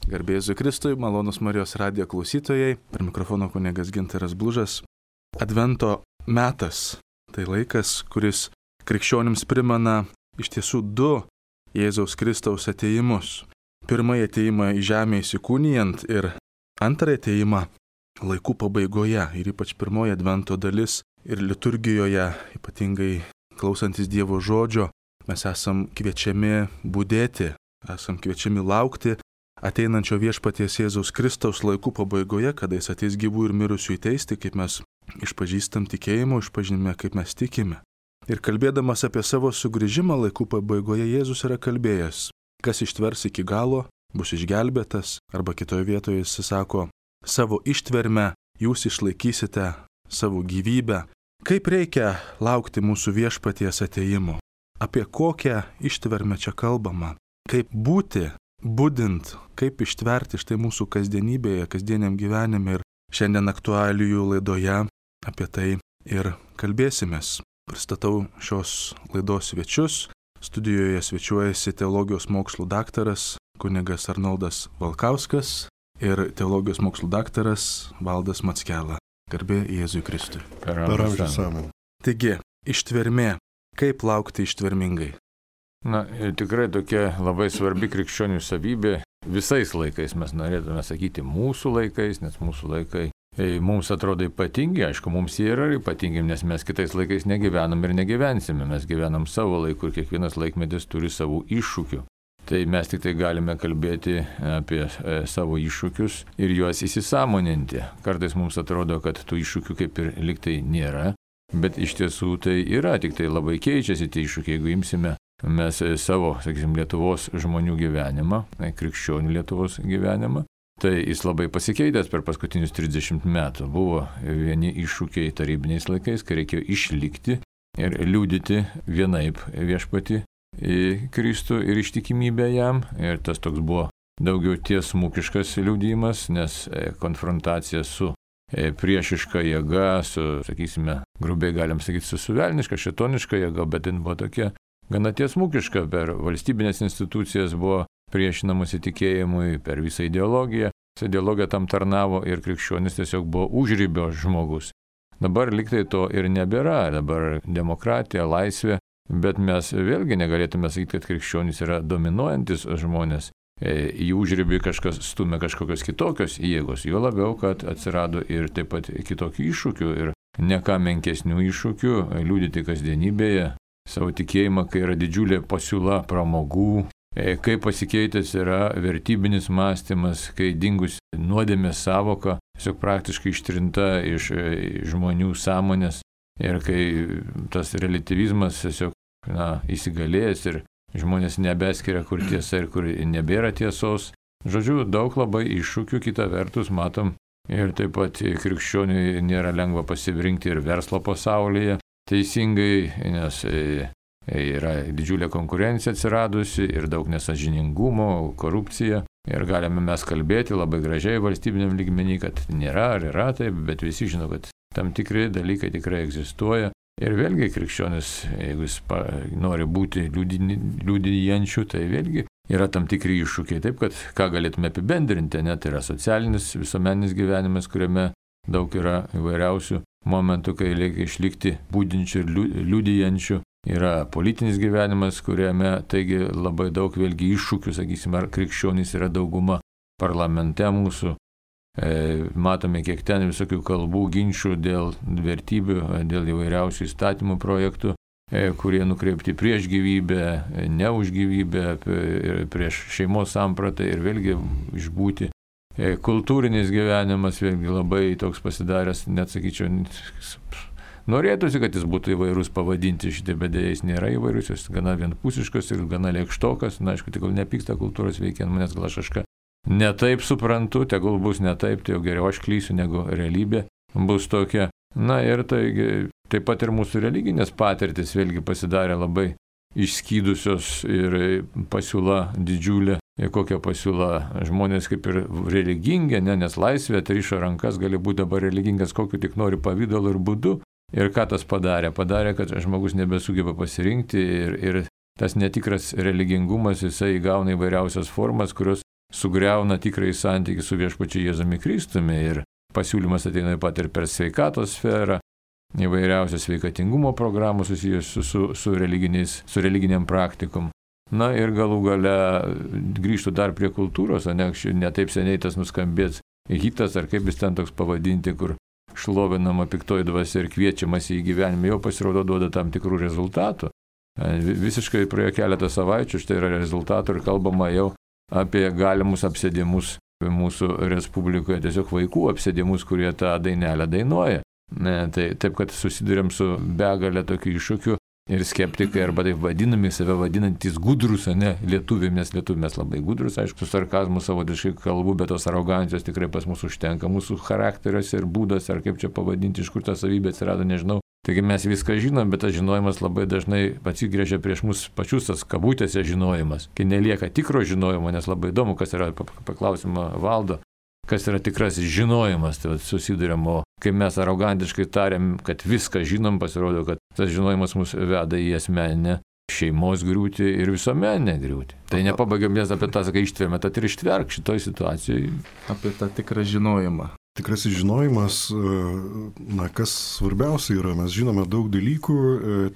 Garbė Jėzui Kristui, malonus Marijos radijo klausytojai, per mikrofono kunigas Gintaras Blužas. Advento metas – tai laikas, kuris krikščionims primena iš tiesų du Jėzaus Kristaus atėjimus. Pirmąjį atėjimą į žemę įsikūnijant ir antrąjį atėjimą laikų pabaigoje. Ir ypač pirmoji Advento dalis ir liturgijoje, ypatingai klausantis Dievo žodžio, mes esam kviečiami budėti, esam kviečiami laukti ateinančio viešpaties Jėzaus Kristaus laikų pabaigoje, kada jis ateis gyvų ir mirusių teisti, kaip mes išpažįstam tikėjimo, išpažinime, kaip mes tikime. Ir kalbėdamas apie savo sugrįžimą laikų pabaigoje, Jėzus yra kalbėjęs, kas ištvers iki galo, bus išgelbėtas, arba kitoje vietoje jis sako, savo ištvermę jūs išlaikysite savo gyvybę. Kaip reikia laukti mūsų viešpaties atėjimo? Apie kokią ištvermę čia kalbama? Kaip būti budint, kaip ištverti štai mūsų kasdienybėje, kasdieniam gyvenime. Ir šiandien aktualijų laidoje apie tai ir kalbėsimės. Pristatau šios laidos svečius. Studijoje svečiuojasi teologijos mokslų daktaras kunigas Arnoldas Valkauskas ir teologijos mokslų daktaras Valdas Mackela. Garbė Jėzui Kristui. Per amžius amen. Taigi, ištvermė. Kaip laukti ištvermingai? Na, tikrai tokia labai svarbi krikščionių savybė. Visais laikais mes norėtume sakyti mūsų laikais, nes mūsų laikai mums atrodo ypatingi. Aišku, mums jie yra ypatingi, nes mes kitais laikais negyvenam ir negyvensime. Mes gyvenam savo laiku ir kiekvienas laikmetis turi savų iššūkių. Tai mes tik tai galime kalbėti apie savo iššūkius ir juos įsisąmoninti. Kartais mums atrodo, kad tų iššūkių kaip ir liktai nėra, bet iš tiesų tai yra, tik tai labai keičiasi tie iššūkiai, jeigu imsime mes savo, sakysim, Lietuvos žmonių gyvenimą, krikščionių Lietuvos gyvenimą, tai jis labai pasikeitęs per paskutinius 30 metų. Buvo vieni iššūkiai tarybiniais laikais, kai reikėjo išlikti ir liudyti vienaip viešpatį į Kristų ir ištikimybę jam. Ir tas toks buvo daugiau tiesmukiškas liudijimas, nes konfrontacija su priešiška jėga, su, sakysime, grubiai galim sakyti, su suvelniška, šėtoniška jėga, bet jin buvo tokia gana tiesmukiška, per valstybinės institucijas buvo priešinamas įtikėjimui, per visą ideologiją. Visą ideologiją tam tarnavo ir krikščionis tiesiog buvo užribio žmogus. Dabar liktai to ir nebėra, dabar demokratija, laisvė, bet mes vėlgi negalėtume sakyti, kad krikščionis yra dominuojantis žmonės. Į užribį kažkas stumia kažkokios kitokios jėgos, juo labiau, kad atsirado ir taip pat kitokių iššūkių ir ne ką menkesnių iššūkių liudyti kasdienybėje savo tikėjimą, kai yra didžiulė pasiūla pramogų, kai pasikeitęs yra vertybinis mąstymas, kai dingus nuodėmės savoka, tiesiog praktiškai ištrinta iš žmonių sąmonės ir kai tas relativizmas tiesiog įsigalėjęs ir žmonės nebeskiria, kur tiesa ir kur nebėra tiesos. Žodžiu, daug labai iššūkių, kita vertus matom ir taip pat krikščioniui nėra lengva pasirinkti ir verslo pasaulyje teisingai, nes yra didžiulė konkurencija atsiradusi ir daug nesažiningumo, korupcija. Ir galime mes kalbėti labai gražiai valstybiniam lygmenį, kad nėra ar yra taip, bet visi žino, kad tam tikri dalykai tikrai egzistuoja. Ir vėlgi krikščionis, jeigu jis nori būti liudijančių, tai vėlgi yra tam tikri iššūkiai. Taip, kad ką galėtume apibendrinti, net yra socialinis, visuomeninis gyvenimas, kuriame daug yra įvairiausių momentų, kai reikia išlikti budinčių ir liudijančių. Yra politinis gyvenimas, kuriame taigi labai daug vėlgi iššūkių, sakysime, ar krikščionys yra dauguma parlamente mūsų. Matome, kiek ten visokių kalbų, ginčių dėl vertybių, dėl įvairiausių įstatymų projektų, kurie nukreipti prieš gyvybę, ne už gyvybę, prieš šeimos sampratą ir vėlgi išbūti. Kultūrinis gyvenimas vėlgi labai toks pasidaręs, net sakyčiau, norėtųsi, kad jis būtų įvairūs pavadinti šitie, bet dėja jis nėra įvairūs, jis gana vienpusiškas ir gana lėkštokas. Na, aišku, tegul nepyksta kultūros veikia ant manęs, gal aš kažką netaip suprantu, tegul bus netaip, tai jau geriau aš klysiu, negu realybė bus tokia. Na ir taigi, taip pat ir mūsų religinės patirtis vėlgi pasidarė labai išskydusios ir pasiūla didžiulė. Ir kokia pasiūla, žmonės kaip ir religingi, nes laisvė atrišo rankas, gali būti dabar religingas kokiu tik nori pavydalu ir būdu. Ir ką tas padarė? Padarė, kad žmogus nebesugeba pasirinkti ir tas netikras religingumas, jisai įgauna įvairiausias formas, kurios sugriauna tikrąjį santykį su viešpačiu Jėzumi Kristumi. Ir pasiūlymas ateina taip pat ir per sveikatos sferą, įvairiausios sveikatingumo programos susijusios su religiniam praktikom. Na ir galų gale grįžtų dar prie kultūros, ne taip seniai tas nuskambės hitas, ar kaip jis ten toks pavadinti, kur šlovinama piktoji dvasia ir kviečiamas į gyvenimą, jau pasirodo duoda tam tikrų rezultatų. Visiškai praėjo keletą savaičių, štai yra rezultatų ir kalbama jau apie galimus apsėdimus mūsų Respublikoje, tiesiog vaikų apsėdimus, kurie tą dainelę dainuoja. Taip, kad susidurėm su begalė tokių iššūkių ir skeptikai, arba taip vadinami, save vadinantys gudrus, lietuviai, nes lietuviai mes labai gudrus, aišku, su sarkazmu savotiškai kalbu, bet tos arogancijos tikrai pas mus užtenka, mūsų charakteriuose ir būdas, ar kaip čia pavadinti, iš kur ta savybė atsirado, nežinau. Taigi mes viską žinom, bet tas žinojimas labai dažnai atsigręžia prieš mus pačius, tas kabutėse žinojimas, kai nelieka tikro žinojimo, nes labai įdomu, kas yra, paklausimo Valdo, kas yra tikrasis žinojimas, tai susidurėm, o kai mes arogantiškai tariam, kad viską žinom, pasirodo, kad tas žinojimas mus veda į asmeninę šeimos griūtį ir visuomeninę griūtį. Tai nepabaigiam, nes apie tą, sakai, ištvermę, tad ir ištverk šitoj situacijai. Apie tą tikrą žinojimą. Tikrasis žinojimas, kas svarbiausia yra, mes žinome daug dalykų,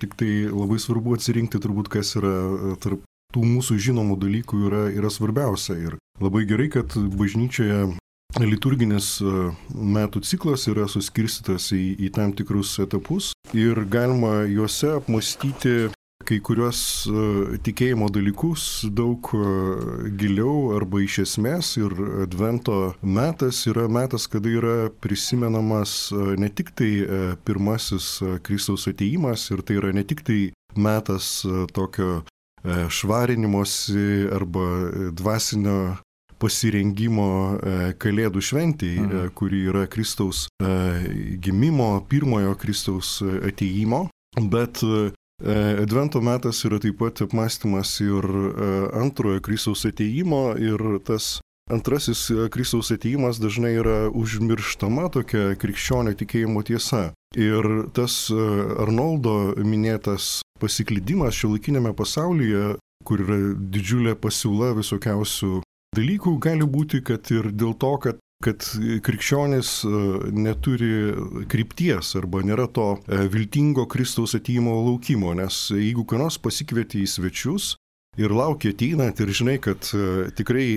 tik tai labai svarbu atsirinkti turbūt, kas yra tarp tų mūsų žinomų dalykų yra svarbiausia. Ir labai gerai, kad bažnyčioje liturginis metų ciklas yra suskirstytas į tam tikrus etapus ir galima juose apmąstyti kai kurios tikėjimo dalykus daug giliau arba iš esmės. Ir Advento metas yra metas, kada yra prisimenamas ne tik tai pirmasis Kristaus atėjimas, ir tai yra ne tik tai metas tokio švarinimosi arba dvasinio pasirengimo Kalėdų šventėj, kuri yra Kristaus gimimo, pirmojo Kristaus atėjimo, bet Advento metas yra taip pat apmąstymas ir antrojo Kristaus atėjimo, ir tas antrasis Kristaus atėjimas dažnai yra užmirštama tokia krikščionio tikėjimo tiesa. Ir tas Arnoldo minėtas pasiklydimas šiuolaikinėme pasaulyje, kur yra didžiulė pasiūla visokiausių dalykų, gali būti, kad ir dėl to, kad krikščionis neturi krypties arba nėra to viltingo Kristaus atėjimo laukimo, nes jeigu ką nors pasikvieti į svečius ir laukia ateinant ir žinai, kad tikrai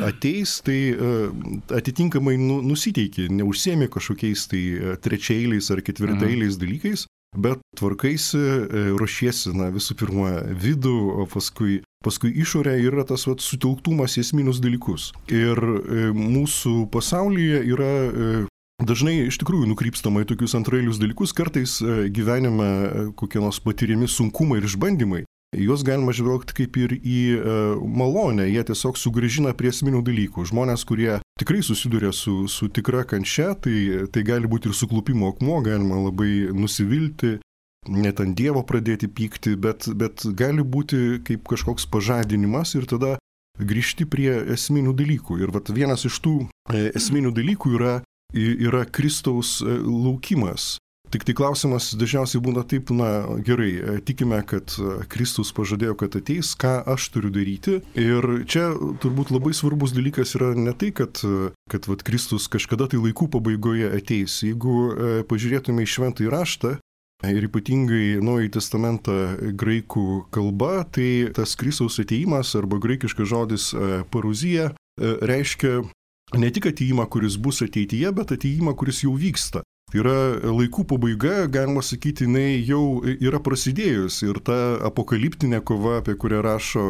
ateis, tai atitinkamai nusiteiki, neužsiemi kažkokiais tai trečiaeiliais ar ketvirtaeiliais dalykais, bet tvarkaisi, ruošiesi visų pirma vidų, o paskui išorė, yra tas sutelktumas į esminius dalykus. Ir mūsų pasaulyje yra dažnai iš tikrųjų nukrypstama į tokius antraeilius dalykus, kartais gyvenime kokie nors patiriami sunkumai ir išbandymai. Juos galima žvelgti kaip ir į malonę, jie tiesiog sugrįžina prie esminių dalykų. Žmonės, kurie tikrai susiduria su tikra kančia, tai gali būti ir suklupimo akmuo, galima labai nusivilti, net ant Dievo pradėti pykti, bet gali būti kaip kažkoks pažadinimas ir tada grįžti prie esminių dalykų. Ir vienas iš tų esminių dalykų yra Kristaus laukimas. Tik tai klausimas dažniausiai būna taip, gerai, tikime, kad Kristus pažadėjo, kad ateis, ką aš turiu daryti. Ir čia turbūt labai svarbus dalykas yra ne tai, kad Kristus kažkada tai laikų pabaigoje ateis. Jeigu pažiūrėtume į šventąjį raštą, ir ypatingai Naująjį testamentą graikų kalba, tai tas Kristaus atėjimas arba graikiškas žodis paruzija reiškia ne tik atėjimą, kuris bus ateityje, bet atėjimą, kuris jau vyksta. Tai yra laikų pabaiga, galima sakyti, jinai jau yra prasidėjus, ir ta apokaliptinė kova, apie kurią rašo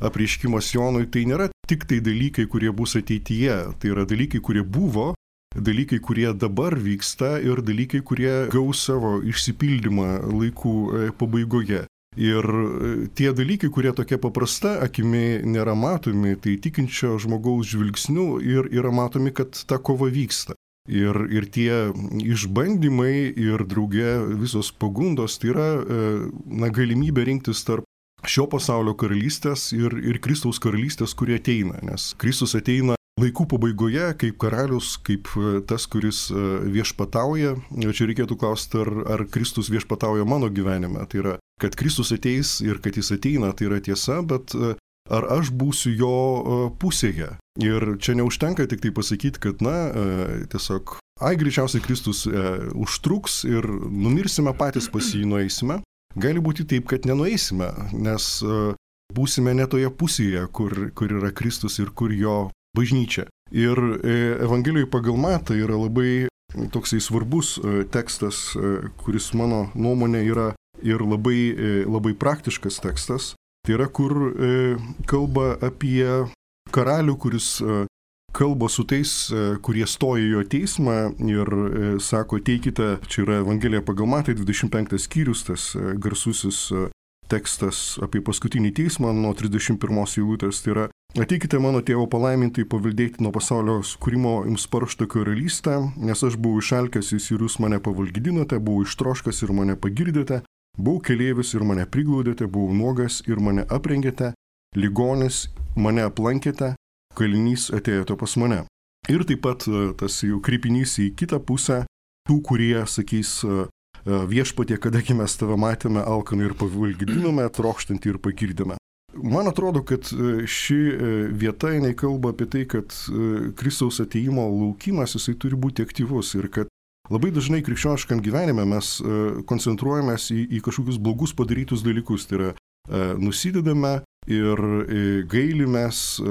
apreiškimas Jonui, tai nėra tik tai dalykai, kurie bus ateityje, tai yra dalykai, kurie buvo, dalykai, kurie dabar vyksta, ir dalykai, kurie gaus savo išsipildymą laikų pabaigoje. Ir tie dalykai, kurie tokia paprasta akimi nėra matomi, tai tikinčio žmogaus žvilgsniu ir yra matomi, kad ta kova vyksta. Ir tie išbandymai ir drauge visos pagundos, tai yra galimybė rinktis tarp šio pasaulio karalystės ir Kristaus karalystės, kurie ateina. Nes Kristus ateina laikų pabaigoje kaip karalius, kaip tas, kuris viešpatauja. Čia reikėtų klausti, ar Kristus viešpatauja mano gyvenime. Tai yra, kad Kristus ateis ir kad jis ateina, tai yra tiesa, bet ar aš būsiu jo pusėje. Ir čia neužtenka tik tai pasakyti, kad, tiesiog, greičiausiai Kristus užtruks ir numirsime patys pas jį, nueisime. Gali būti taip, kad nenueisime, nes būsime ne toje pusėje, kur yra Kristus ir kur jo bažnyčia. Ir Evangelijoje pagal Matą yra labai toksai svarbus tekstas, kuris mano nuomonė yra ir labai praktiškas tekstas. Tai yra, kur kalba apie karalių, kuris kalba su tais, kurie stoja jo teismą ir sako, teikite, čia yra Evangelija pagal Matą, 25 skyrius, tas garsusis tekstas apie paskutinį teismą nuo 31 eilutės, tai yra, ateikite mano tėvo palaimintai paveldėti nuo pasaulio sukūrimo jums paruoštą karalystę, nes aš buvau išalkęs ir jūs mane pavalgydinote, buvau ištroškęs ir mane pagirdėte, buvau keleivis ir mane priglaudėte, buvau nuogas ir mane aprengėte, ligonis mane aplankėte, kalinys atėjote pas mane. Ir taip pat tas jau kreipinys į kitą pusę, tų, kurie sakys, viešpatie, kadagi mes tave matėme alkaną ir pavalgydinome, trokštantį ir pagirdėme. Man atrodo, kad ši vieta, jinai kalba apie tai, kad Kristaus atėjimo laukimas, jisai turi būti aktyvus ir kad labai dažnai krikščioniškam gyvenime mes koncentruojamės į kažkokius blogus padarytus dalykus, tai yra nusidedame ir gailimės,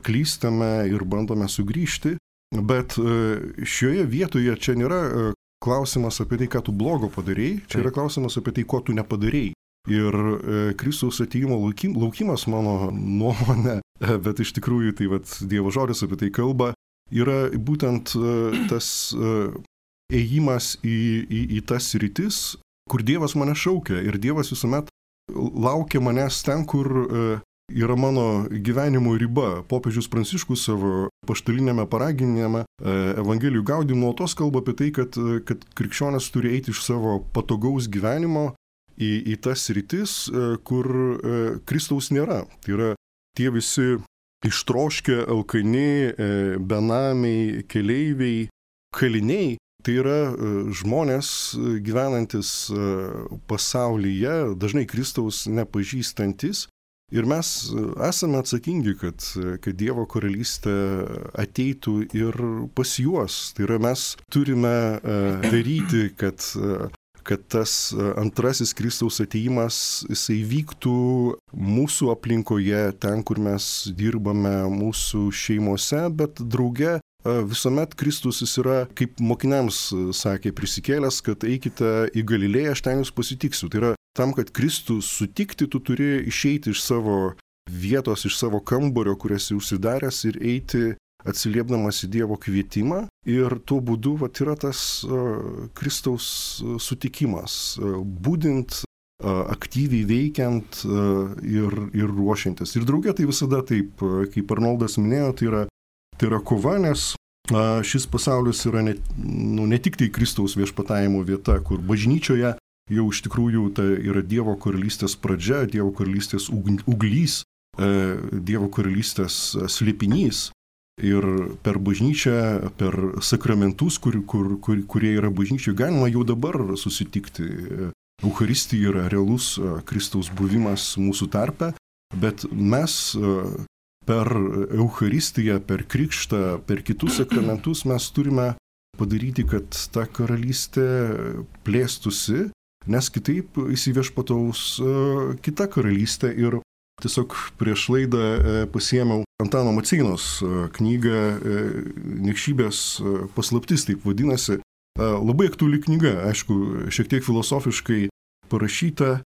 klystame ir bandome sugrįžti, bet šioje vietoje čia nėra klausimas apie tai, ką tu blogo padarėjai, čia yra klausimas apie tai, ko tu nepadarėjai. Ir Kristaus atėjimo laukimas, mano nuomonė, bet iš tikrųjų tai Dievo žodis apie tai kalba, yra būtent tas ėjimas į tas sritis, kur Dievas mane šaukia. Ir Dievas visuomet laukia manęs ten, kur yra mano gyvenimo riba. Popiežius Pranciškus savo paštalinėme paraginime Evangelijų Gaudium nuolatos kalba apie tai, kad krikščionis turi eiti iš savo patogaus gyvenimo į tas sritis, kur Kristaus nėra. Tai yra tie visi ištroškę, alkani, benamiai, keleiviai, kaliniai. Tai yra žmonės gyvenantis pasaulyje, dažnai Kristaus nepažįstantis. Ir mes esame atsakingi, kad Dievo karalystė ateitų ir pas juos. Tai yra mes turime daryti, kad tas antrasis Kristaus atėjimas, jisai vyktų mūsų aplinkoje, ten, kur mes dirbame, mūsų šeimose, bet drauge visuomet Kristus jis yra, kaip mokiniams sakė, prisikėlęs, kad eikite į Galilėją, aš ten jūs pasitiksiu. Tai yra tam, kad Kristų sutikti, tu turi išeiti iš savo vietos, iš savo kambario, kur esi užsidaręs ir eiti atsiliepdamas į Dievo kvietimą. Ir tuo būdu yra tas Kristaus sutikimas, būdint, aktyviai veikiant ir ruošiantis. Ir drauge tai visada taip, kaip Arnoldas minėjo, tai yra kova, nes šis pasaulis yra ne tik tai Kristaus viešpatavimo vieta, kur bažnyčioje jau iš tikrųjų tai yra Dievo karalystės pradžia, Dievo karalystės uglys, Dievo karalystės slėpinys. Ir per bažnyčią, per sakramentus, kurie yra bažnyčioje, galima jau dabar susitikti. Eucharistija yra realus Kristaus buvimas mūsų tarpe, bet mes per Eucharistiją, per krikštą, per kitus sakramentus mes turime padaryti, kad ta karalystė plėstųsi, nes kitaip įsiviešpataus kita karalystė. Ir tiesiog prieš laidą pasiėmiau Antano Maceinos knygą Niekšybės paslaptis, taip vadinasi. Labai aktuali knyga, aišku, šiek tiek filosofiškai parašyta,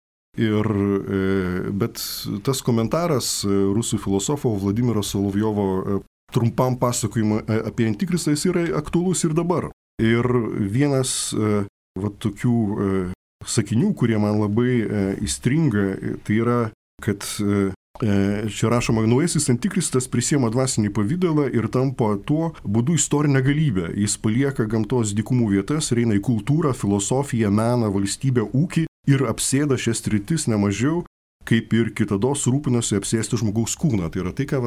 bet tas komentaras rusų filosofo Vladimiro Solovjovo trumpam pasakojimui apie Antikristą jis yra aktualus ir dabar. Ir vienas tokių sakinių, kurie man labai įstringa, tai yra, kad čia rašoma, naujasis Antikristas prisiema dvasinį pavydalą ir tampa tuo būdu istorinę galybę. Jis palieka gamtos dykumų vietas, eina į kultūrą, filosofiją, meną, valstybę, ūkį ir apsėda šias sritis nemažiau, kaip ir kitados rūpinosi apsėsti žmogaus kūną. Tai yra tai, ką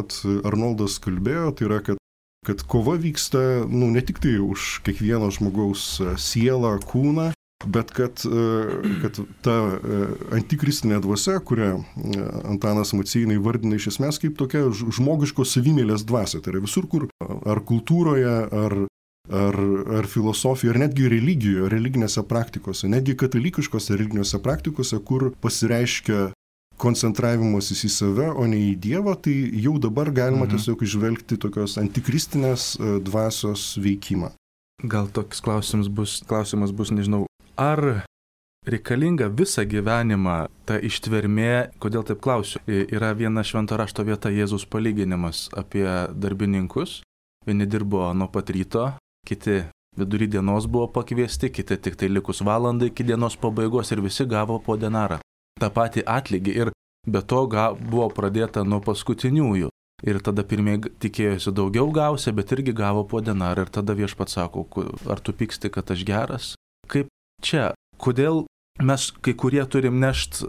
Arnoldas kalbėjo, tai yra, kad kova vyksta ne tik tai už kiekvieno žmogaus sielą, kūną, bet kad ta antikristinė dvasia, kurią Antanas Maceina įvardina iš esmės kaip tokia žmogiškos savimėlės dvasia, tai yra visur, kur ar kultūroje, ar filosofijoje, ar netgi religijoje, religinėse praktikose, netgi katalikiškose religinėse praktikose, kur pasireiškia koncentravimasis į save, o ne į Dievą, tai jau dabar galima tiesiog išvelgti tokios antikristinės dvasios veikimą. Gal toks klausimas bus, nežinau, ar reikalinga visą gyvenimą ta ištvermė, kodėl taip klausiu, yra viena švento rašto vieta Jėzaus palyginimas apie darbininkus, vieni dirbo nuo pat ryto, kiti vidury dienos buvo pakviesti, kiti tik tai likus valandai iki dienos pabaigos ir visi gavo po denarą. tą patį atlygį ir be to buvo pradėta nuo paskutiniųjų. Ir tada pirmieji tikėjosi daugiau gausi, bet irgi gavo po denarą ir tada viešpats sako, ar tu pyksti, kad aš geras? Kaip čia? Kodėl mes kai kurie turim nešti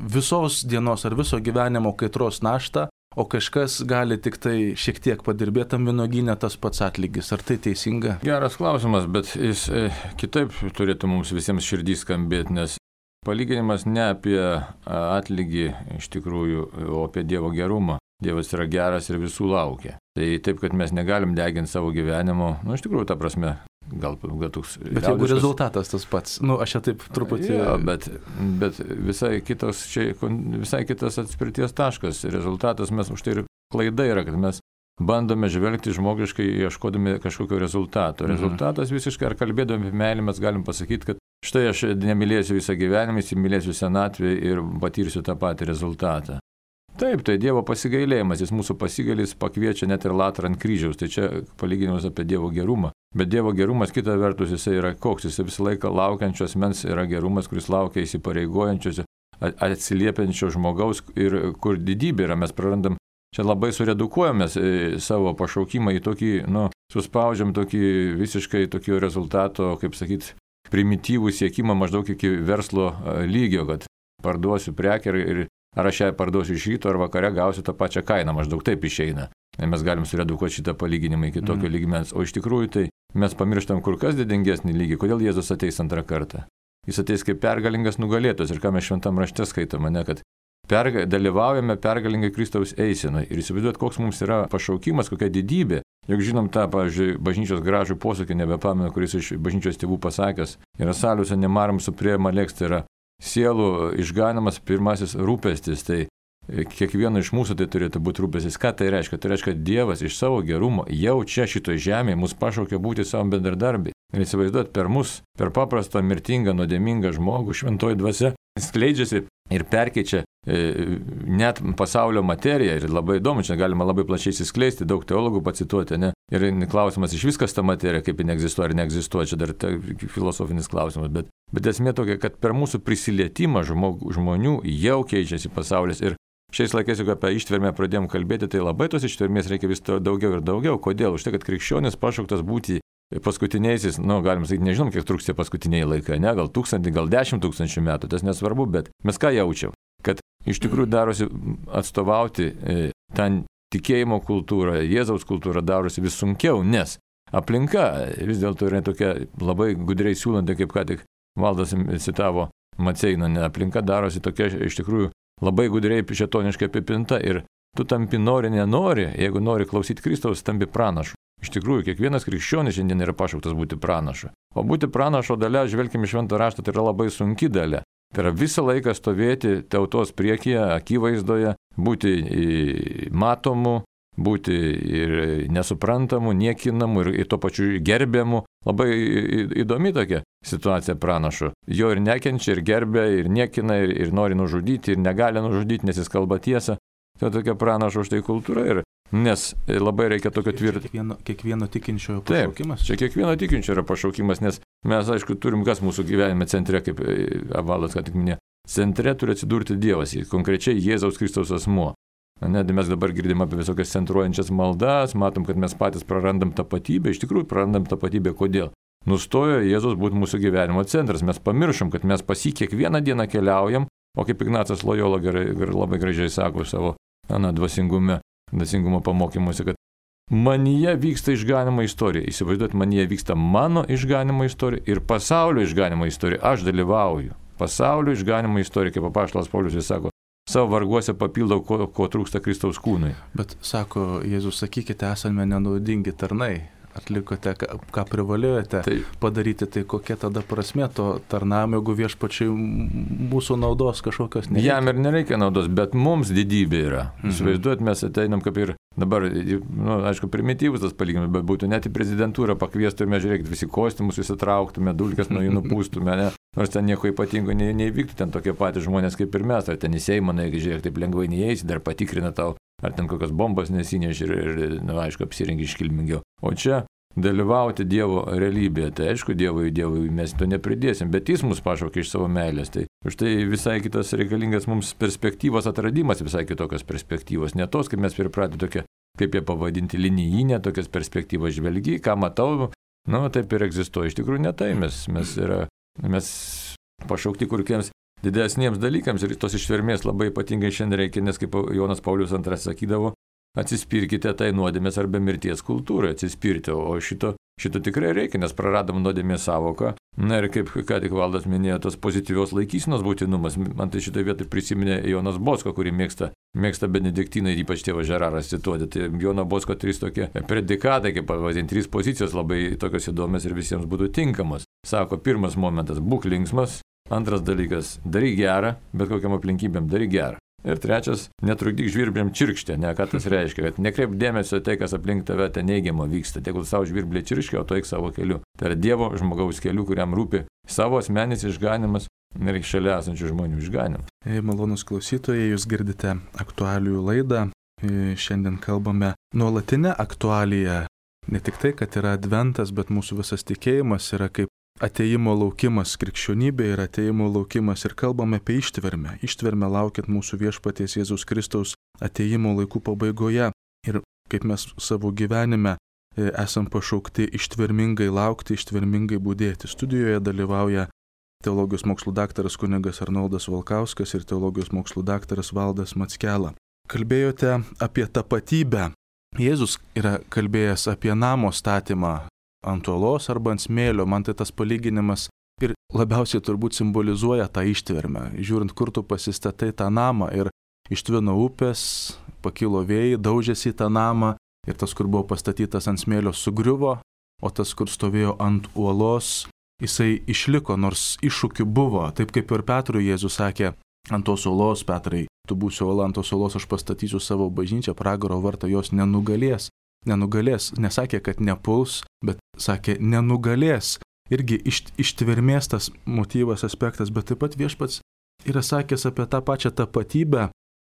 visos dienos ar viso gyvenimo kaitros naštą, o kažkas gali tik tai šiek tiek padirbėtam vynuogyne tas pats atlygis. Ar tai teisinga? Geras klausimas, bet jis kitaip turėtų mums visiems širdį skambėti, nes palyginimas ne apie atlygį iš tikrųjų, o apie Dievo gerumą. Dievas yra geras ir visų laukia. Tai taip, kad mes negalim deginti savo gyvenimo, iš tikrųjų, ta prasme, gal toks... Bet jeigu rezultatas tas pats, aš čia taip truputį... Ja, bet visai kitas atspirties taškas. Rezultatas mes už tai ir klaida yra, kad mes bandome žvelgti žmogiškai, ieškodami kažkokio rezultato. Rezultatas visiškai, ar kalbėdami apie meilę, mes galim pasakyti, kad štai aš nemylėsiu visą gyvenimą, įsimylėsiu senatvę ir patyrsiu tą patį rezultatą. Taip, tai Dievo pasigailėjimas, jis mūsų pasigailys pakviečia net ir latrą ant kryžiaus, tai čia palyginimas apie Dievo gerumą. Bet Dievo gerumas, kita vertus, jisai yra koks, jisai visą laiką laukiančios mens yra gerumas, kuris laukia įsipareigojančios, atsiliepiančio žmogaus ir kur didybė yra, mes prarandam, čia labai suredukuojamės savo pašaukimą į tokį, suspaudžiam tokį visiškai tokio rezultato, kaip sakyt, primityvų siekimą maždaug iki verslo lygio, kad parduosiu prekę ir ar aš ją parduosiu iš ryto ar vakare gausiu tą pačią kainą, maždaug taip išeina. Mes galim suredukuoti šitą palyginimą iki tokio lygmens, o iš tikrųjų tai mes pamirštam kur kas didingesnį lygį. Kodėl Jėzus ateis antrą kartą? Jis ateis kaip pergalingas nugalėtojas ir ką mes šventam rašte skaitome, kad dalyvaujame pergalingai Kristaus eisenoje ir įsivaizduot, koks mums yra pašaukimas, kokia didybė. Juk žinom tą, pavyzdžiui, bažnyčios gražų posakį, nebepamenu, kuris iš bažnyčios tėvų pasakęs, yra saliuose nemaram supriema leks, tai yra sielų išganimas pirmasis rūpestis, tai kiekvieno iš mūsų tai turėtų būti rūpestis. Ką tai reiškia? Tai reiškia, kad Dievas iš savo gerumo jau čia šitoje žemėje mus pašaukia būti savo bendradarbiai. Ir įsivaizduot, per mus, per paprastą, mirtingą, nuodėmingą žmogų, šventoji dvasia skleidžiasi ir perkeičia net pasaulio materiją. Ir labai įdomu, čia galima labai plačiai įsiskleisti, daug teologų pacituoti, ne? Ir klausimas iš viskas ta materija, kaip ji neegzistuoja ar neegzistuoja, čia dar filosofinis klausimas. Bet esmė tokia, kad per mūsų prisilietimą žmonių jau keičiasi pasaulis. Ir šiais laikais, jeigu apie ištvermę pradėjom kalbėti, tai labai tos ištvermės reikia vis daugiau ir daugiau. Kodėl? Už tai, kad krikščionis pašauktas būti paskutiniaisiais, galim sakyti, nežinom, kiek truks tie paskutiniai laikai, ne? Gal 1000, gal 10 000 metų, tas nesvarbu, bet mes ką jaučiam? Kad iš tikrųjų darosi atstovauti tą tikėjimo kultūrą, Jėzaus kultūrą darosi vis sunkiau, nes aplinka vis dėlto yra tokia labai gudriai siūlanti, kaip ką tik Valdas citavo Maceiną, aplinka darosi tokia iš tikrųjų labai gudriai šėtoniškai apipinta ir tu tampi nori, nenori, jeigu nori klausyti Kristaus, tampi pranašu. Iš tikrųjų, kiekvienas krikščionis šiandien yra pašauktas būti pranašu. O būti pranašo dalia, žvelgime šventą raštą, tai yra labai sunki dalia. Tai yra visą laiką stovėti tautos priekyje, akivaizdoje, būti matomu, būti ir nesuprantamu, niekinamu ir tuo pačiu gerbiamu. Labai įdomi tokia situacija pranašo. Jo ir nekenčia, ir gerbia, ir niekina, ir nori nužudyti, ir negali nužudyti, nes jis kalba tiesą. Tai tokia pranašo štai kultūra. Nes labai reikia tokio tvirto. Kiekvieno tikinčiojo pašaukimas? Taip, čia kiekvieno tikinčiojo yra pašaukimas, nes mes, aišku, turim kas mūsų gyvenime centre, kaip Valdas ką tik minėjo. Centre turi atsidurti Dievas, konkrečiai Jėzaus Kristaus asmuo. Net mes dabar girdim apie visokias centruojančias maldas, matom, kad mes patys prarandam tapatybę. Iš tikrųjų, prarandam tapatybę. Kodėl? Nustojo Jėzus būti mūsų gyvenimo centras. Mes pamiršom, kad mes pas jį kiekvieną dieną keliaujam, o kaip Ignacas Lojola labai gražiai sako savo dvasingumo pamokymuose, kad manyje vyksta išganimo istorija. Įsivaizduot, manyje vyksta mano išganimo istorija ir pasaulio išganimo istorija. Aš dalyvauju. Pasaulio išganimo istorija, kaip apaštalas Paulius jis sako, savo varguose papildau, ko trūksta Kristaus kūnui. Bet sako Jėzus, sakykite, esame nenaudingi tarnai. Atlikote, ką privalėjote padaryti, tai kokia tada prasmė to tarnavimo, jeigu viešpačiai mūsų naudos kažkokios nereikia. Jam ir nereikia naudos, bet mums didybė yra. Įsivaizduot, mes ateinam kaip ir dabar, aišku, primityvus tas palyginimas, bet būtų net į prezidentūrą pakviestume, žiūrėkit, visi kostiumus įsitrauktume, dulkes nuo jų nupūstume, ne? Nors ten nieko ypatingo neįvyktų, ten tokie patys žmonės kaip ir mes, ar ten į Seimą, žiūrėk, taip lengvai neįeisi, dar patikrina tau, ar ten kokios bombos nesinešė ir aišku, apsirengi iškilmingiau. O čia dalyvauti Dievo realybėje, tai aišku, Dievui mes to nepridėsim, bet Jis mus pašaukė iš savo meilės. Tai už tai visai kitas reikalingas mums perspektyvos atradimas, visai kitokios perspektyvos, ne tos, kaip mes pripratę tokia, kaip jie pavadinti, linijinė, tokias perspektyvos žvelgi, ką matau, taip ir egzistuoja. Iš tikrųjų ne tai, mes pašaukti kuriems didesniems dalykams ir tos ištvermės labai ypatingai šiandien reikia, nes kaip Jonas Paulius II sakydavo, atsispirkite tai nuodėmės arba mirties kultūrai, atsispirti, o šito tikrai reikia, nes praradom nuodėmės savoką. Na ir kaip ką tik Valdas minėjo, tos pozityvios laikysenos būtinumas, man tai šitoje vietoje prisiminė Jonas Bosko, kurį mėgsta benediktinai, ypač tėvas Žeraras cituoti. Tai Jono Bosko 3 tokie predikatai, kaip pavadinti, 3 pozicijos labai tokios įdomios ir visiems būtų tinkamos. Sako, pirmas momentas, būk linksmas, antras dalykas, daryk gerą, bet kokiam aplinkybėm daryk gerą. Ir trečias, netrukdyk žvirbliam čirkštę, ką tas reiškia, kad nekreip dėmesio tai, kas aplink tave ten neigiamo vyksta, tegul savo žvirbliai čirškia, o tu eik savo keliu. Tai yra Dievo žmogaus keliu, kuriam rūpi savo asmenis išganimas ir šalia esančių žmonių išganimas. Malonūs klausytojai, jūs girdite aktualijų laidą. Šiandien kalbame nuolatinę aktualiją. Ne tik tai, kad yra adventas, bet mūsų visas tikėjimas yra kaip atėjimo laukimas, krikščionybė yra atėjimo laukimas ir kalbame apie ištvermę. Ištvermę laukiant mūsų viešpaties Jėzaus Kristaus atėjimo laikų pabaigoje. Ir kaip mes savo gyvenime esam pašaukti ištvermingai laukti, ištvermingai budėti. Studijoje dalyvauja teologijos mokslų daktaras kunigas Arnoldas Valkauskas ir teologijos mokslų daktaras Valdas Mackela. Kalbėjote apie tapatybę. Jėzus yra kalbėjęs apie namo statymą ant uolos arba ant smėlio. Man tai tas palyginimas ir labiausiai turbūt simbolizuoja tą ištvermę. Žiūrint, kur tu pasistatai tą namą ir ištvino upės, pakilo vėjai, daužėsi į tą namą ir tas, kur buvo pastatytas ant smėlio, sugriuvo, o tas, kur stovėjo ant uolos, jisai išliko, nors iššūkių buvo. Taip kaip ir Petrui Jėzus sakė, ant tos uolos, Petrai, tu būsi uola, ant tos uolos aš pastatysiu savo bažnyčią, pragaro vartą jos nenugalės. Nesakė, kad nepuls, bet sakė nenugalės. Irgi ištvermės tas motyvas, aspektas, bet taip pat viešpats yra sakęs apie tą pačią tapatybę.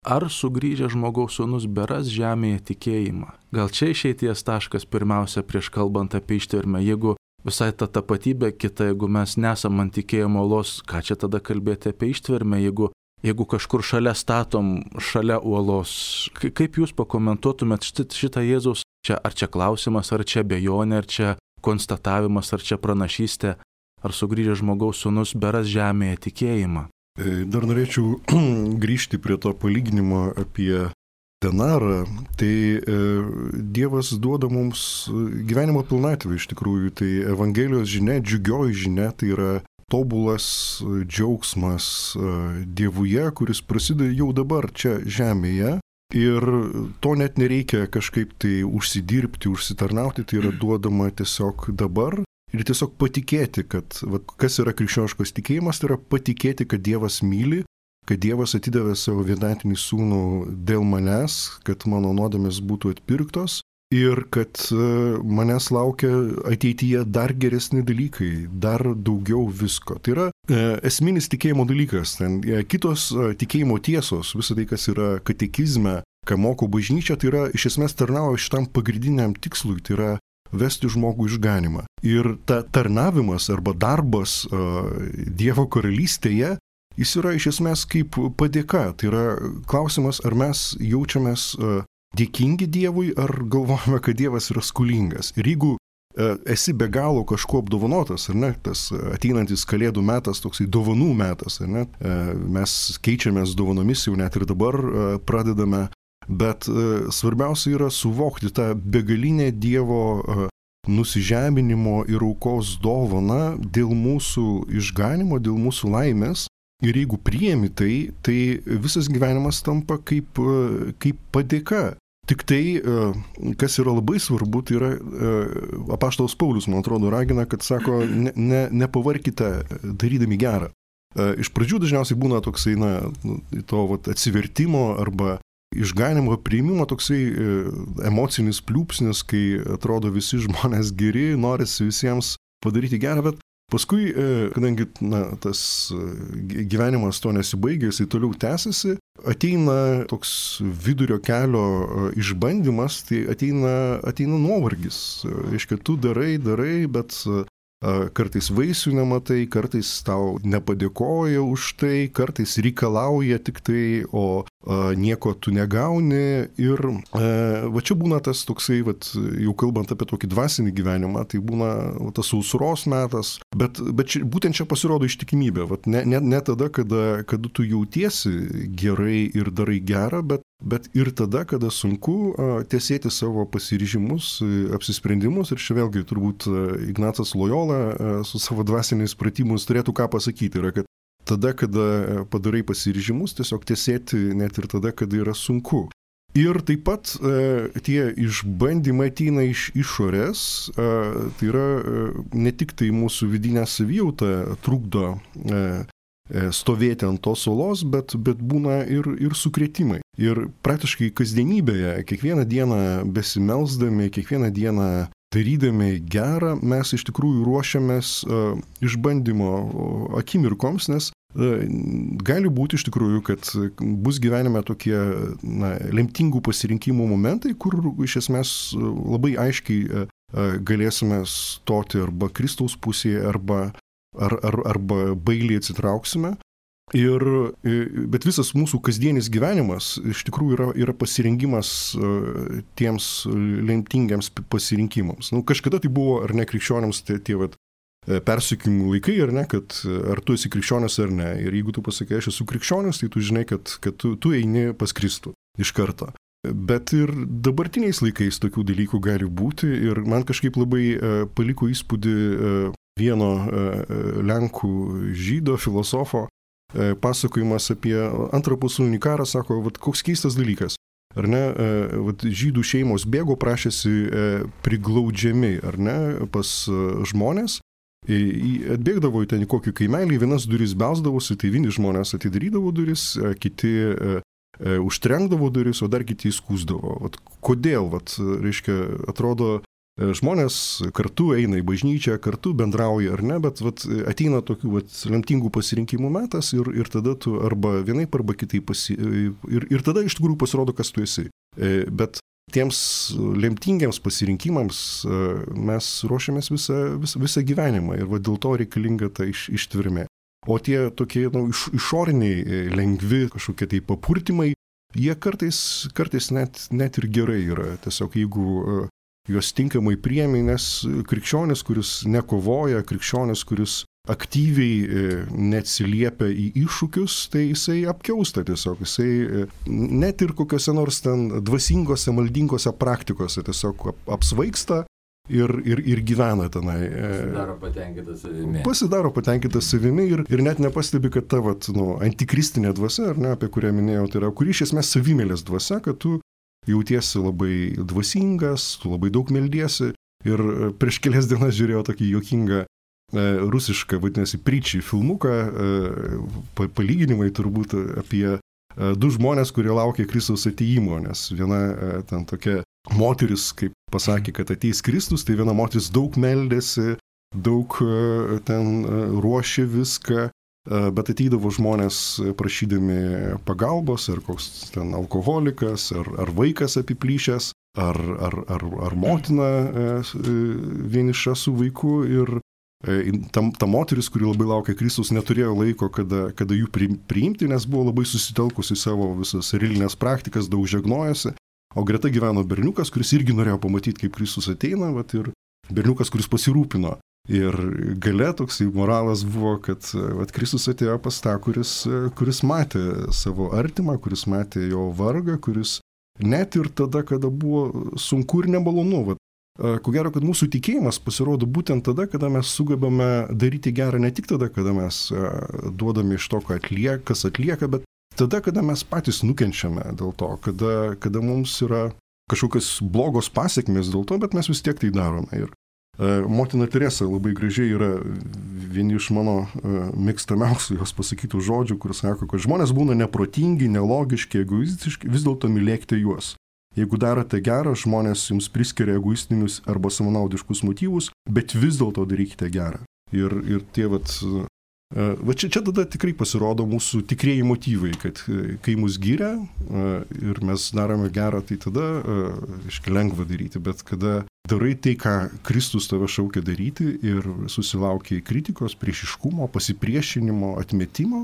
Ar sugrįžę žmogaus sūnus beras žemėje tikėjimą? Gal čia išeities taškas pirmiausia prieš kalbant apie ištvermę. Jeigu visai ta tapatybė kita, jeigu mes nesam ant tikėjimo uolos, ką čia tada kalbėti apie ištvermę, jeigu kažkur šalia statom, šalia uolos? Kaip jūs pakomentuotumėt šitą Jėzaus? Ar čia klausimas, ar čia abejonė, ar čia konstatavimas, ar čia pranašystė, ar sugrįžęs žmogaus sūnus beras žemėje tikėjimą? Dar norėčiau grįžti prie to palyginimo apie denarą. Tai Dievas duoda mums gyvenimo pilnatvę iš tikrųjų. Tai Evangelijos žinia, džiugioji žinia, tai yra tobulas džiaugsmas Dievuje, kuris prasideda jau dabar čia žemėje. Ir to net nereikia kažkaip tai užsidirbti, užsitarnauti, tai yra duodama tiesiog dabar. Ir tiesiog patikėti, kad kas yra krikščioniškas tikėjimas, tai yra patikėti, kad Dievas myli, kad Dievas atidavė savo vienatinį sūnų dėl manęs, kad mano nuodėmės būtų atpirktos ir kad manęs laukia ateityje dar geresni dalykai, dar daugiau visko. Tai yra esminis tikėjimo dalykas. Ten kitos tikėjimo tiesos, visą tai, kas yra katekizme, ką moko bažnyčia, tai yra iš esmės tarnauja šitam pagrindiniam tikslui, tai yra vesti žmogų išganimą. Ir ta tarnavimas arba darbas Dievo karalystėje, jis yra iš esmės kaip padėka. Tai yra klausimas, ar mes jaučiamės dėkingi Dievui, ar galvojame, kad Dievas yra skolingas. Ir jeigu esi be galo kažkuo apdovanotas, ar ne, tas ateinantis kalėdų metas, toksai dovanų metas, ar ne, mes keičiamės dovanomis, jau net ir dabar pradedame bet svarbiausia yra suvokti tą begalinę Dievo nusižeminimo ir aukos dovaną dėl mūsų išganimo, dėl mūsų laimės. Ir jeigu priemi tai, tai visas gyvenimas tampa kaip padėka. Tik tai, kas yra labai svarbu, tai yra apaštalas Paulius, man atrodo, ragina, kad sako, nepavarkite darydami gerą. Iš pradžių dažniausiai būna toksai, to atsivertimo arba išganimo priimimo toksai emocinis pliūpsnis, kai atrodo visi žmonės geri, norisi visiems padaryti gerą, bet paskui, kadangi tas gyvenimas to nesibaigia, jisai toliau tęsiasi, ateina toks vidurio kelio išbandymas, tai ateina nuovargis. Reiškia, tu darai, bet kartais vaisių nematai, kartais tau nepadėkoja už tai, kartais reikalauja tik tai, o nieko tu negauni. Ir va čia būna tas toksai, jau kalbant apie tokį dvasinį gyvenimą, tai būna tas sausros metas, bet būtent čia pasirodo ištikimybė. Ne tada, kada tu jautiesi gerai ir darai gerą, bet ir tada, kada sunku tiesėti savo pasiryžimus, apsisprendimus. Ir čia vėlgi turbūt Ignacas Lojola su savo dvasiniais pratimus turėtų ką pasakyti, yra, kad tada, kada padarai pasiryžimus, tiesiog tiesėti net ir tada, kada yra sunku. Ir taip pat tie išbandymai ateina iš išorės, tai yra ne tik tai mūsų vidinė savijauta trukdo stovėti ant tos uolos, bet būna ir sukrėtimai. Ir praktiškai kasdienybėje, kiekvieną dieną besimelsdami, kiekvieną dieną darydami gerą, mes iš tikrųjų ruošiamės išbandymo akimirkoms, nes gali būti iš tikrųjų, kad bus gyvenime tokie lemtingų pasirinkimų momentai, kur iš esmės labai aiškiai galėsime stoti arba Kristaus pusėje, arba bailiai atsitrauksime. Bet visas mūsų kasdienis gyvenimas iš tikrųjų yra pasirengimas tiems lemtingiams pasirinkimams. Kažkada tai buvo, ar ne, krikščionims tie persekiojimų laikai, ar ne, kad ar tu esi krikščionis ar ne. Ir jeigu tu pasakai, aš esu krikščionis, tai tu žinai, kad tu eini pas Kristų iš karto. Bet ir dabartiniais laikais tokių dalykų gali būti. Ir man kažkaip labai paliko įspūdį vieno lenkų žydo filosofo pasakojimas apie Antrą pasaulinį karą, sako, koks keistas dalykas. Ar ne, žydų šeimos bėgo, prašėsi priglaudžiami, ar ne, pas žmonės. Atbėgdavo į ten kokį kaimelį, vienas duris belsdavosi, tai vieni žmonės atidarydavo duris, kiti užtrenkdavo duris, o dar kiti įskūsdavo. Kodėl, reiškia, atrodo, žmonės kartu eina į bažnyčią, kartu bendrauja ar ne, bet ateina tokių lemtingų pasirinkimų metas ir tada tu arba vienaip, arba kitaip ir tada iš tikrųjų pasirodo, kas tu esi. Bet tiems lemtingiams pasirinkimams mes ruošiamės visą gyvenimą ir dėl to reikalinga ta ištvermė. O tie tokie išoriniai lengvi kažkokie tai papurtimai, jie kartais net ir gerai yra. Tiesiog jeigu juos tinkamai priemi, nes krikščionis, kuris nekovoja, krikščionis, kuris aktyviai neatsiliepia į iššūkius, tai jisai apkiausta tiesiog. Jisai net ir kokiose nors ten dvasingose, maldingose praktikose tiesiog apsvaigsta ir gyvena tenai. Pasidaro patenkintas savimi ir net nepastebi, kad ta antikristinė dvasia, ar ne, apie kurią minėjau, tai yra, kuri iš esmės savimėlės dvasia, kad tu jautiesi labai dvasingas, tu labai daug meldiesi. Ir prieš kelias dienas žiūrėjau tokį juokingą rusišką, vadinasi, Pryčiai filmuką, palyginimai turbūt apie du žmonės, kurie laukia Kristaus atėjimo, nes viena ten tokia moteris, kaip pasakė, kad ateis Kristus, tai viena moteris daug meldėsi, daug ten ruošė viską, bet ateidavo žmonės prašydami pagalbos, ar koks ten alkoholikas, ar vaikas apiplyšęs, ar motina vieniša su vaiku. Ir ta moteris, kuri labai laukia Kristus, neturėjo laiko, kada jų priimti, nes buvo labai susitelkusi savo visas religinės praktikas, daug žegnojosi. O greta gyveno berniukas, kuris irgi norėjo pamatyti, kaip Kristus ateina, ir berniukas, kuris pasirūpino. Ir gale toksai moralas buvo, kad Kristus atėjo pas tą, kuris matė savo artimą, kuris matė jo vargą, kuris net ir tada, kada buvo sunku ir nemalonu. Ko gero, kad mūsų tikėjimas pasirodo būtent tada, kada mes sugebame daryti gerą, ne tik tada, kada mes duodame iš to, kas atlieka, bet tada, kada mes patys nukenčiame dėl to, kada mums yra kažkokios blogos pasiekmės dėl to, bet mes vis tiek tai darome. Ir motina Teresa labai gražiai yra vieni iš mano mėgstamiausių jos pasakytų žodžių, kur sako, kad žmonės būna neprotingi, nelogiški, egoistiški, vis dėlto mylėkite juos. Jeigu darote gerą, žmonės jums priskiria egoistinius arba savanaudiškus motyvus, bet vis dėlto darykite gerą. Ir tie čia tada tikrai pasirodo mūsų tikrieji motyvai, kad kai mus giria ir mes darome gerą, tai tada lengva daryti, bet kada darai tai, ką Kristus tave šaukia daryti ir susilaukia kritikos, priešiškumo, pasipriešinimo, atmetimo,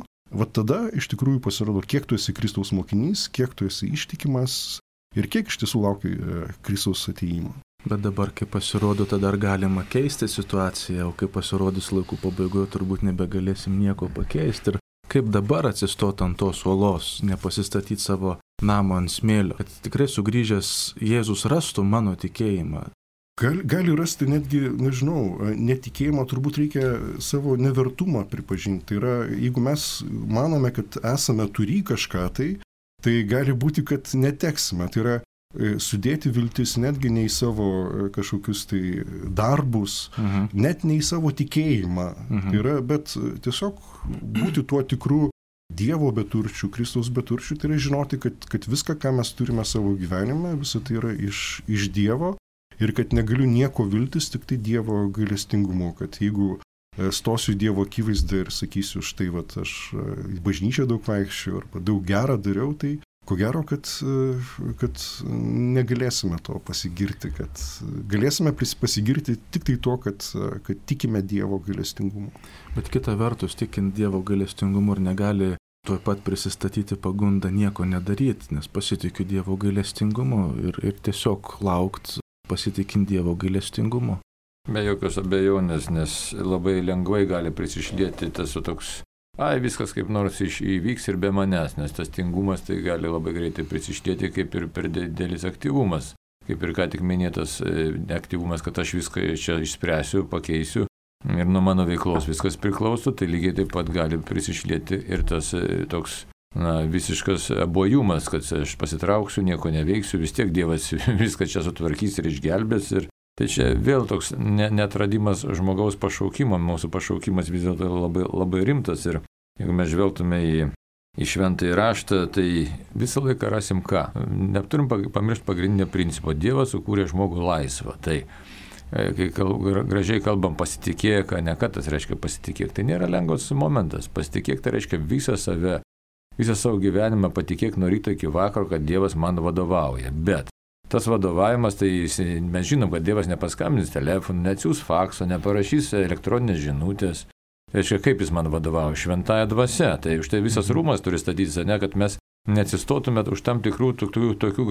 tada iš tikrųjų pasirodo, kiek tu esi Kristaus mokinys, kiek tu esi ištikimas ir kiek iš tiesų laukia Kristaus atėjimo. Bet dabar, kai pasirodo, tada dar galima keisti situaciją, o kai pasirodys laikų pabaigoje, turbūt nebegalėsim nieko pakeisti. Ir kaip dabar atsistoti ant tos uolos, nepasistatyti savo namo ant smėlio, kad tikrai sugrįžęs Jėzus rastų mano tikėjimą. Gali rasti netgi, netikėjimą, turbūt reikia savo nevertumą pripažinti. Tai yra, jeigu mes manome, kad esame turį kažką, tai gali būti, kad neteksime. Tai yra sudėti viltis netgi ne į savo kažkokius tai darbus, net ne į savo tikėjimą. Tai yra, bet tiesiog būti tuo tikru Dievo beturčių, Kristaus beturčių, tai yra žinoti, kad viską, ką mes turime savo gyvenime, visą tai yra iš Dievo ir kad negaliu nieko viltis, tik tai Dievo gailestingumu, kad jeigu stosiu Dievo akivaizdą ir sakysiu, štai aš į bažnyčią daug vaikščiau arba daug gerą dariau, tai ko gero, kad negalėsime to pasigirti, kad galėsime pasigirti tik tai to, kad tikime Dievo gailestingumu. Bet kita vertus, tikint Dievo gailestingumu ir negali tuoj pat prisistatyti pagundą nieko nedaryti, nes pasitikiu Dievo gailestingumu ir tiesiog laukt pasitikint Dievo gailestingumu. Be jokios abejonės, nes labai lengvai gali prisišlieti tas toks viskas kaip nors įvyks ir be manęs, nes tas tingumas tai gali labai greitai prisišlieti kaip ir per didelis aktyvumas. Kaip ir ką tik minėtas aktyvumas, kad aš viską čia išspręsiu, pakeisiu ir nuo mano veiklos viskas priklauso, tai lygiai taip pat gali prisišlieti ir tas toks visiškas abojumas, kad aš pasitrauksiu, nieko neveiksiu, vis tiek Dievas viską čia sutvarkys ir išgelbės. Ir tai čia vėl toks neatradimas žmogaus pašaukimo, mūsų pašaukimas vis dėlto labai, labai rimtas ir jeigu mes žvelgtume į šventąjį raštą, tai visą laiką rasim ką? Neturim pamiršti pagrindinio principo. Dievas sukūrė žmogų laisvą. Tai kai gražiai kalbam pasitikėk, ne ką tas reiškia pasitikėk, tai nėra lengvas momentas. Pasitikėk tai reiškia visą savo gyvenimą patikėk nuo ryto iki vakaro, kad Dievas man vadovauja. Bet tas vadovavimas, tai mes žinom, kad Dievas nepaskambins telefonu, neatsiųs fakso, neparašys elektroninės žinutės. Tai reiškia, kaip jis man vadovauja? Šventąja dvasia. Tai už tai visas rūmas turi statytis, kad mes neatsistotume už tam tikrų tokių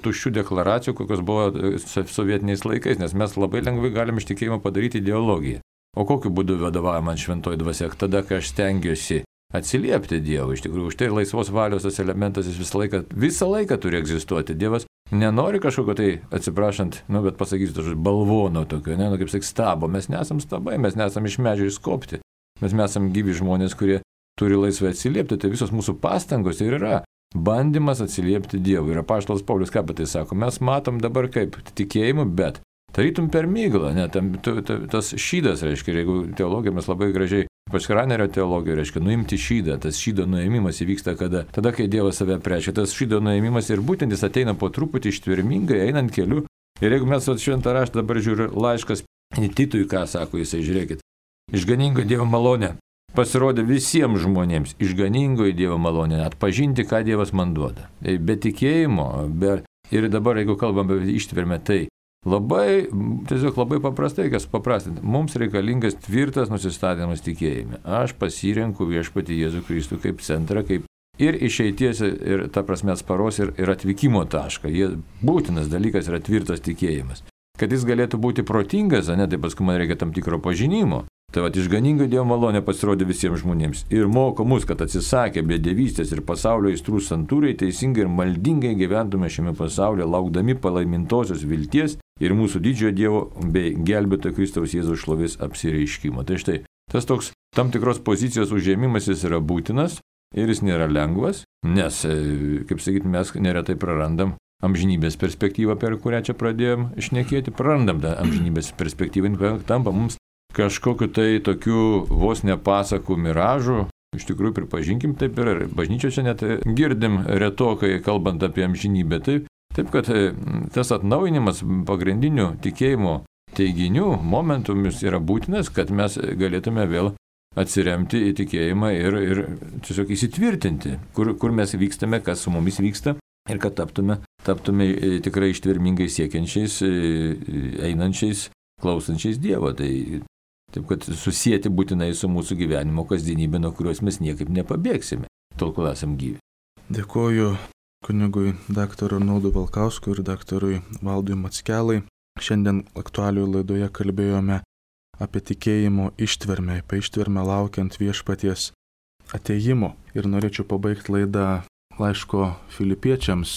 tuščių deklaracijų, kokios buvo sovietiniais laikais, nes mes labai lengvai galim iš tikėjimo padaryti ideologiją. O kokiu būdu vadovauja man šventoji dvasia? Tada, kai aš stengiuosi atsiliepti Dievui. Iš tikrųjų, už tai laisvos valios tas elementas jis visą laiką turi egzistuoti. Dievas nenori kažkokio tai, atsiprašant, bet pasakysiu, balvono tokio, kaip sakyk, stabo. Mes nesam stabai, mes nesam iš medžio išskopti. Mes esam gyvi žmonės, kurie turi laisvai atsiliepti. Tai visos mūsų pastangos ir yra bandymas atsiliepti Dievui. Ir apaštalas Paulius ką apie tai sako? Mes matom dabar kaip tikėjimu, bet tarytum per myglą. Tas šydas, reiškia, jeigu teologija mes labai gražiai, ypač Ranerio teologija, reiškia, nuimti šydą. Tas šydo nuėmimas įvyksta kada? Tada, kai Dievas save prečia. Tas šydo nuėmimas ir būtent jis ateina po truputį ištvermingai, einant keliu. Ir jeigu mes šventą raštą dabar žiūrime laiškas Titui, ką sako jisai, žiūrėkit. Išganingo Dievo malonė pasirodė visiems žmonėms. Išganingoji Dievo malonė atpažinti, ką Dievas man duoda. Be tikėjimo, ir dabar, jeigu kalbame apie ištvermę, tai tiesiog labai paprastai, kas paprastinti. Mums reikalingas tvirtas nusistatymas tikėjime. Aš pasirenku viešpatį Jėzų Kristų kaip centrą, kaip ir išeities, ir ta prasme atsparos, ir atvykimo tašką. Būtinas dalykas yra tvirtas tikėjimas. Kad jis galėtų būti protingas, tai paskui man reikia tam tikro pažinimo. Tai va, išganinga Dievo malonė pasirodė visiems žmonėms ir moko mus, kad atsisakę bedevystės ir pasaulio aistrų santūriai, teisingai ir maldingai gyventume šiame pasaulyje, laukdami palaimintosios vilties ir mūsų didžiojo Dievo bei gelbėtojo Kristaus Jėzaus šlovės apsireiškimo. Tai štai, tas toks tam tikros pozicijos užėmimas jis yra būtinas ir jis nėra lengvas, nes, kaip sakyti, mes neretai prarandam amžinybės perspektyvą, per kurią čia pradėjom šnekėti, prarandam tą amžinybės perspektyvą, tampa mums kažkokiu tai tokiu vos nepasakų miražu. Iš tikrųjų, pripažinkim, taip ir bažnyčioje čia net girdim retokai, kalbant apie amžinybę. Taip kad tas atnaujinimas pagrindinių tikėjimo teiginių momentumis yra būtinas, kad mes galėtume vėl atsiremti į tikėjimą ir tiesiog įsitvirtinti, kur mes vykstame, kas su mumis vyksta ir kad taptume tikrai ištvermingai siekiančiais, einančiais, klausančiais Dievo. Taip, kad susijęti būtinai su mūsų gyvenimo kasdienybė, nuo kurios mes niekaip nepabėgsime, tol kol esam gyvi. Dėkoju kunigui daktarui Arnoldui Valkauskui ir daktarui Valdui Mackelai. Šiandien aktualijų laidoje kalbėjome apie tikėjimo ištvermę, apie ištvermę laukiant viešpaties atėjimo. Ir norėčiau pabaigti laidą laiško Filipiečiams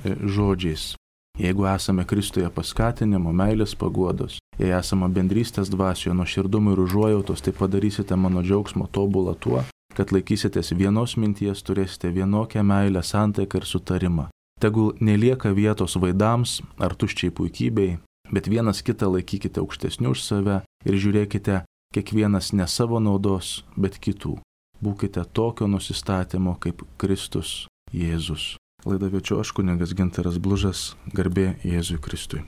žodžiais. Jeigu esame Kristuje paskatinimo, meilės paguodos, jei esame bendrystės dvasioje, nuoširdumo ir užuojautos, tai padarysite mano džiaugsmo tobulą tuo, kad laikysitės vienos minties, turėsite vienokią meilę, santaiką ir sutarimą. Tegul nelieka vietos vaidams ar tuščiai puikybei, bet vienas kitą laikykite aukštesniu už save ir žiūrėkite kiekvienas ne savo naudos, bet kitų. Būkite tokio nusistatymo kaip Kristus Jėzus. Laidą vedžiau aš, kunigas Gintaras Blužas, garbė Jėzui Kristui.